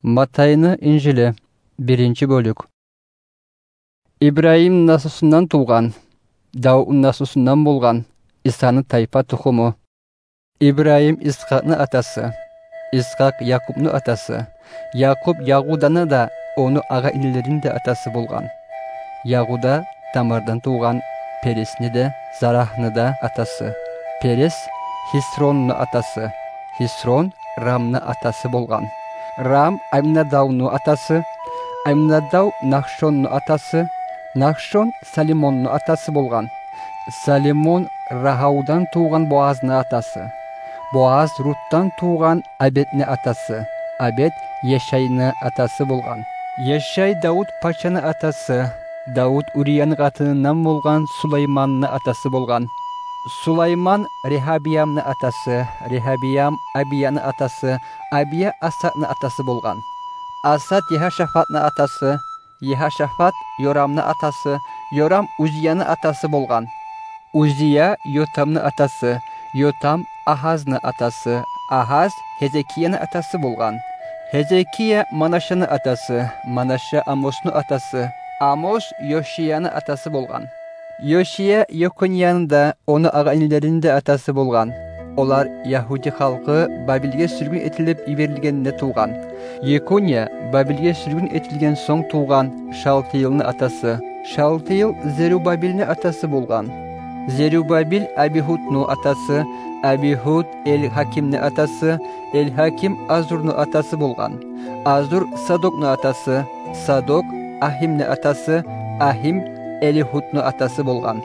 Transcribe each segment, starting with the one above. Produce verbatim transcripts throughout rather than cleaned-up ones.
Матайны Инжили, биринчи бёлюк. Ибрагьим наслусундан тувгъан, Давутну наслусундан болгъан Исаны тайпа тухуму. Ибрагьим Исхакъны атасы, Исхакъ Якъубну атасы, Якъуб Ягъуданы да, ону агъа-инилерини де атасы болгъан. Ягъуда Тамардан тувгъан Пересни де, Зарахны да атасы. Перес Хисронну атасы, Хисрон Рамны атасы болгъан. Рам Аминадавну атасы, Аминадав Нахшонну атасы, Нахшон Салимонну атасы болгъан. Салимон Рагьавдан тувгъан Боазны атасы, Боаз Рутдан тувгъан Обедни атасы, Обед Ешайны атасы болгъан. Ешай Давут пачаны атасы, Давут Урияны къатынындан болгъан Сулайманны атасы болгъан. Сулайман Регьабиямны атасы, Регьабиям Абияны атасы, Абия Асаны атасы болгъан. Аса Ягьашафатны атасы, Ягьашафат Йорамны атасы, Йорам Узияны атасы болгъан. Узия Йотамны атасы, Йотам Агьазны атасы, Агьаз Гьезекияны атасы болгъан. Гьезекия Манашаны атасы, Манаша Амосну атасы, Амос Йошияны атасы болгъан. Йошия Йеконияны да, ону агъа-инилерини де атасы болгъан. Олар ягьуди халкъы Бабилге сюргюн этилип йиберилгенде тувгъан. Йекония Бабилге сюргюн этилген сонг тувгъан Шалтыйлны атасы. Шалтыйл Зерубабилни атасы болгъан. Зерубабил Абигьудну атасы, Абигьуд Эльгьакимни атасы, Эльгьаким Азурну атасы болгъан. Азур Садокну атасы, Садок Ахимни атасы, Ахим Элигьудну атасы болгъан.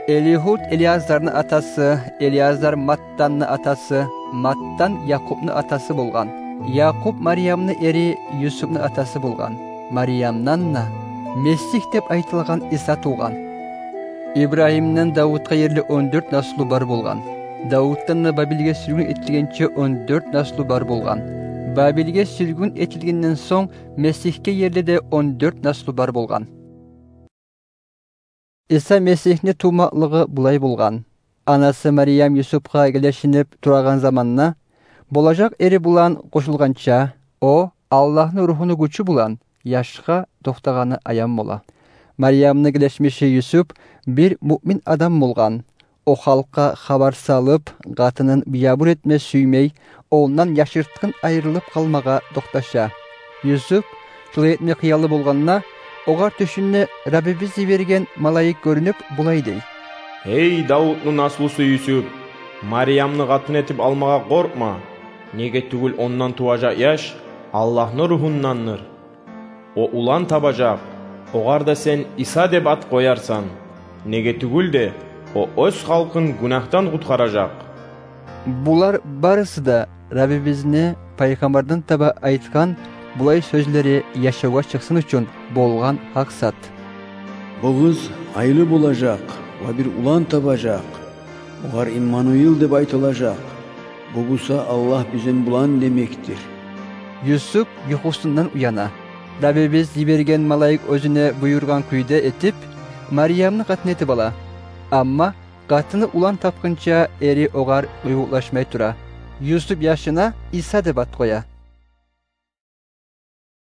Элигьуд Элиазарны атасы, Элиазар Маттанны атасы, Маттан Якъубну атасы болгъан. Якъуб Мариямны эри Юсупну атасы болгъан. Мариямдан да Месигь деп айтылагъан Иса тувгъан. Ибрагьимден Давутгъа ерли он дёрт наслу бар болгъан. Давутдан да Бабилге сюргюн этилгенче он дёрт наслу бар болгъан. Бабилге сюргюн этилгенден сонг Месигьге ерли де он дёрт наслу бар болгъан. Иса Месигьни тувмакълыгъы булай болгъан. Анасы Мариям Юсупгъа гелешинип турагъан заманда, болажакъ эри булан къошулгъанча, о Аллагьны Ругьуну гючю булан яшгъа токътагъаны аян бола. Мариямны гелешмиши Юсуп бир муъмин адам болгъан. О халкъгъа хабар салып, къатынын биябур этме сюймей, ондан яшыртгъын айрылып къалмагъа токъташа. Юсуп шолай этме хыялы болгъанда, огъар тюшюнде Раббибиз йиберген малайик гёрюнюп, булай дей: «Гьей, Давутну наслусу Юсуп, Мариямны къатын этип алмагъа къоркъма, неге тюгюл ондан туважакъ яш Аллагьны Ругьундандыр. О улан табажакъ, огъар да сен Иса деп ат къоярсан, неге тюгюл де о оьз халкъын гюнагьдан къутгъаражакъ». Булар барысы да Раббибизни пайхаммардан таба айтгъан булай сёзлери яшавгъа чыкъсын учун болгъан гьакъ зат. «Бу къыз айлы болажакъ ва бир улан табажакъ. Огъар Иммануил деп айтылажакъ. Бу буса Аллагь бизин булан демекдир». Юсуп юхусундан уяна. Раббибиз йиберген малайик оьзюне буюргъан кюйде этип, Мариямны къатын этип ала. Амма къатыны улан тапгъынча эри огъар къуювукълашмай тура. Юсуп яшына Иса деп ат къоя.